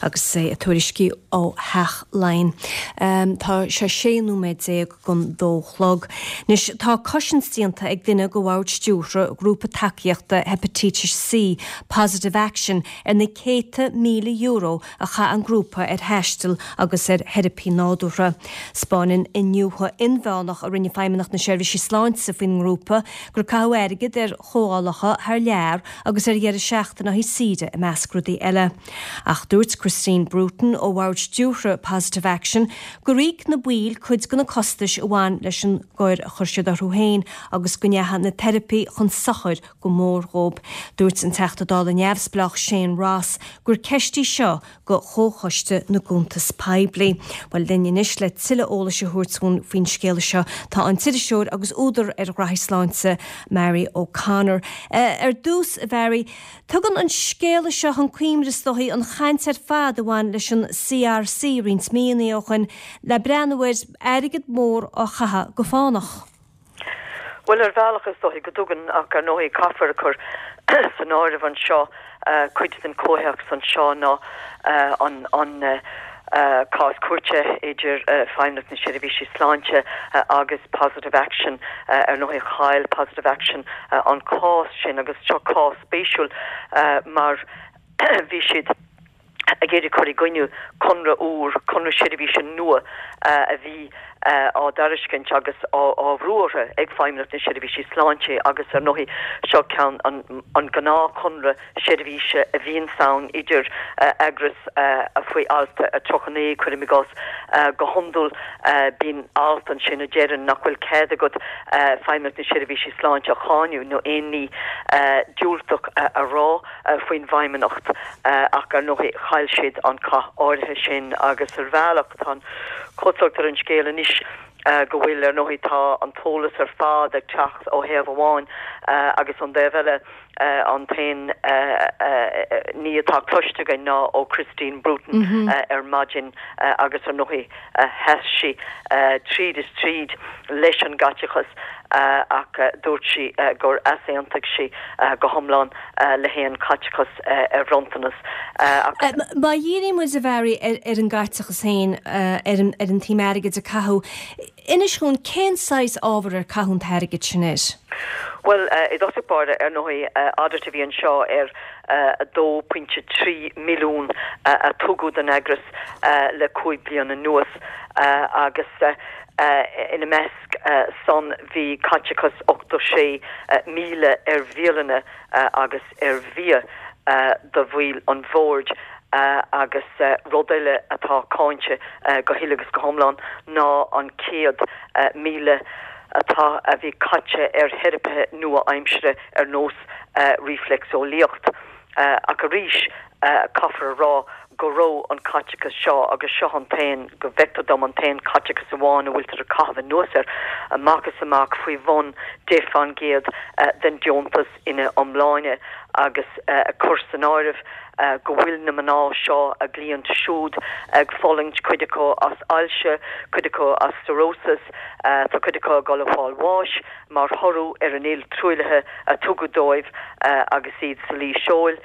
Agus é ag tuairisciú ó Theach Laighean. Tá sé 16 nóiméad don dó chlog. Anois, tá cosaint déanta ag duine de bhord stiúrtha ghrúpa tacaíochta Heipitítis C, Positive Action, ar na céadta €1,000 a chaith an grúpa ar thaisteal agus ar theiripí nádúrtha. 'Spáineann iniúchadh inmheánach a rinne Feidhmeannacht na Seirbhíse Sláinte faoin ngrúpa gur caitheadh airgead ar chomhdhálacha thar lear agus ar dheireadh seachtaine saoire i measc rudaí eile. Ach dúirt Christine Bruton ó bhord stiúrtha Positive Action gur íoc na baill cuid de na costais a bhain leis an gcor a chuir siad orthu féin agus go ndeachaigh na teiripí chun sochair go mór dhóibh. Dúirt an Teachta Dála neamhspleách Shane Ross gur ceist í seo go Chomhchoiste na gCuntas Poiblí. Bhuel, linn anois le tuilleadh eolais a thabhairt dhúinn faoin scéala seo tá an t-iriseoir agus údar ar ghraithí sláinte, Mary O'Connor. Ar dtús, a Mhary, tugann an scéala seo chun cuimhne is dóichí an chaint ar fad a bhain leis an CRC roinnt míonna ó shoin le breathnú ar airgead mór á chaitheamh go fánach. Bhuel, ar bhealach is dóichí go dtugann, ach ar ndóigh caithfear a chur san áireamh anseo, cuid den chomhthéacs anseo ná an an cás cúirte idir Feidhmeannacht na Seirbhíse Sláinte agus Positive Action. Ar ndóigh chaill Positive Action an cás sin agus seo cás spéisiúil mar bhí siad, ag iarraidh cur i gcoinne conradh úr, conradh seirbhíse nua a bhí á dtairiscint agus á bhrú orthu ag Feidhmeannacht na Seirbhísí Sláinte agus ar ndóigh seo ceann an gnáthchonradh seirbhíse a bhíonns ann idir eagrais faoi alt 39, cuirim i gcás. Go hiondúil bíonn alt ansin a deireann nach bhfuil cead agat Feidhmeannacht na Seirbhísí Sláinte a cháineadh nó aon ní diúltach a rá faoin bhFeidhmeannacht. Ach ar ndóigh chaill siad an cath áirithe sin agus ar bhealach tá an chosúlacht ar an scéal anois go bhfuil, ar ndóigh tá an t-eolas ar fad ag teacht ó thaobh amháin agus ón dtaobh eile an t-aon ní atá cloiste againn ná ó Christine Bruton ar maidin agus ar ndóigh sheas sí tríd is tríd leis an gcaiteachas ach dúirt sí gur easaontaigh sí go hiomlán le haon chaiteachas ar bhronntanas ach. Má dhíríonn muid, a Mhary, ar an gcaiteachas féin, ar an tsuim airgid a caitheadh, inis dhúinn cén saghas ábhar ar caitheadh an t-airgead sin air? Bhuel, i dtosach báire, ar ndóigh, audit a bhí anseo ar 2.3 milliún a tugadh don eagras le 5 bliana anuas agus ina measc san bhí caiteachas 86,000 ar bhialanna agus ar bhia do bhaill an bhoird agus rud eile atá cáinte go huile agus go hiomlán ná an 100,000 atá a bhí caite ar theiripithe nua-aimsire ar nós rífleicseolaíocht. Ach arís, caithfear a rá go raibh an caiteachas seo, agus seo an t-aon, go bhfeictear dom, an t-aon chaiteachas amháin a bhfuiltear ag caitheamh anuas air, amach is amach faoi bhun 10% den deontas ina iomláine agus cur san áireamh go bhfuil na mná seo, a gcliaint siúd, ag fulaingt, cuid acu as ailse, cuid acu as cirrhosis, tá cuid acu ag dul a fáil bháis mar thoradh ar an fhuil truaillithe a tugadh dóibh agus iad sa luí seoil.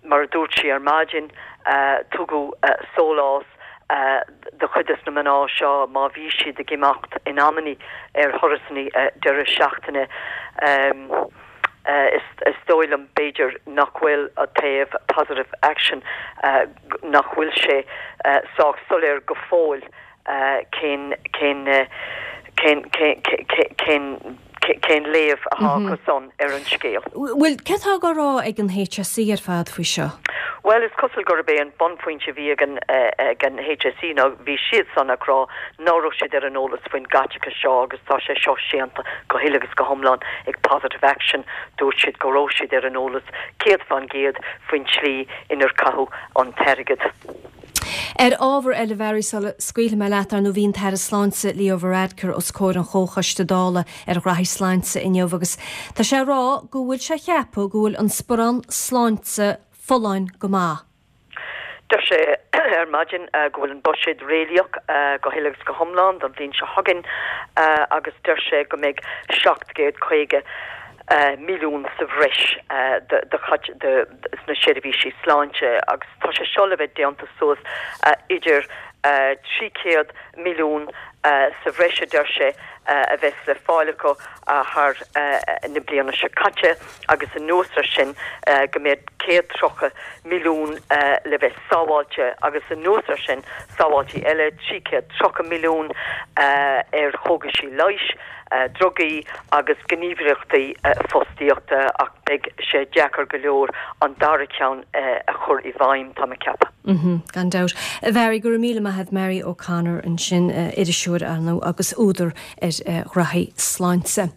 Mar a dúirt sí ar maidin, tugadh sólás do chuid des na mná seo má bhí siad ag imeacht in amannaí ar thurasanna deireadh seachtaine. Is dóigh liom, b'fhéidir, nach bhfuil taobh Positive Action, nach bhfuil sé sách soiléir go fóill cén, cén, cén, cén, cén, cén léamh atá acu san ar an scéal. Bhuel, céard atá á rá ag an HSE ar fad faoi seo? Bhuel, is cosúil gurb é an bunphointe a bhí ag an, ag an HSE ná bhí siad san ag rá ná raibh siad ar an eolas faoin gcaiteachas seo agus tá sé seo séanta go huile agus go hiomlán ag Positive Action. Dúirt siad go raibh siad ar an eolas 100% faoin tslí inar caitheadh an t-airgead. Ar ábhar eile, Mhary, sula scaoilfidh mé leat, ar ndóigh bhí an tAire Sláinte, Leo Varadkar, os comhair an Chomhchoiste Dála ar Ghraithí Sláinte inniu agus tá sé ag rá go bhfuil sé ag ceapadh go bhfuil an sparán sláinte folláin go maith. Deir sé ar maidin go bhfuil an buiséad réalaíoch go huile agus go hiomlán don bhliain seo chugainn agus deir sé go mbeidh 750. Milliún sa bhreis do sna seirbhísí sláinte agus tá sé seo le bheith déanta suas idir 300 milliún sa bhreis a deir sé a bheas le fáil acu thar na bliana seo caite agus anuas ar sin go mbeidh 130 milliún le bheith sábháilte agus anuas ar sin sábháiltí eile 330 milliún ar chógaisí leighis. drugaí agus gníomhaireachtaí fostaíochta ach beidh sé deacair go leor an dara ceann a chur i bhfeidhm, tá mé ag ceapadh. Gan dabht. A Mhary, go raibh míle maith agat. Mary O'Connor ansin, iriseoir, ar ndóigh, agus údar ar ghraithí sláinte.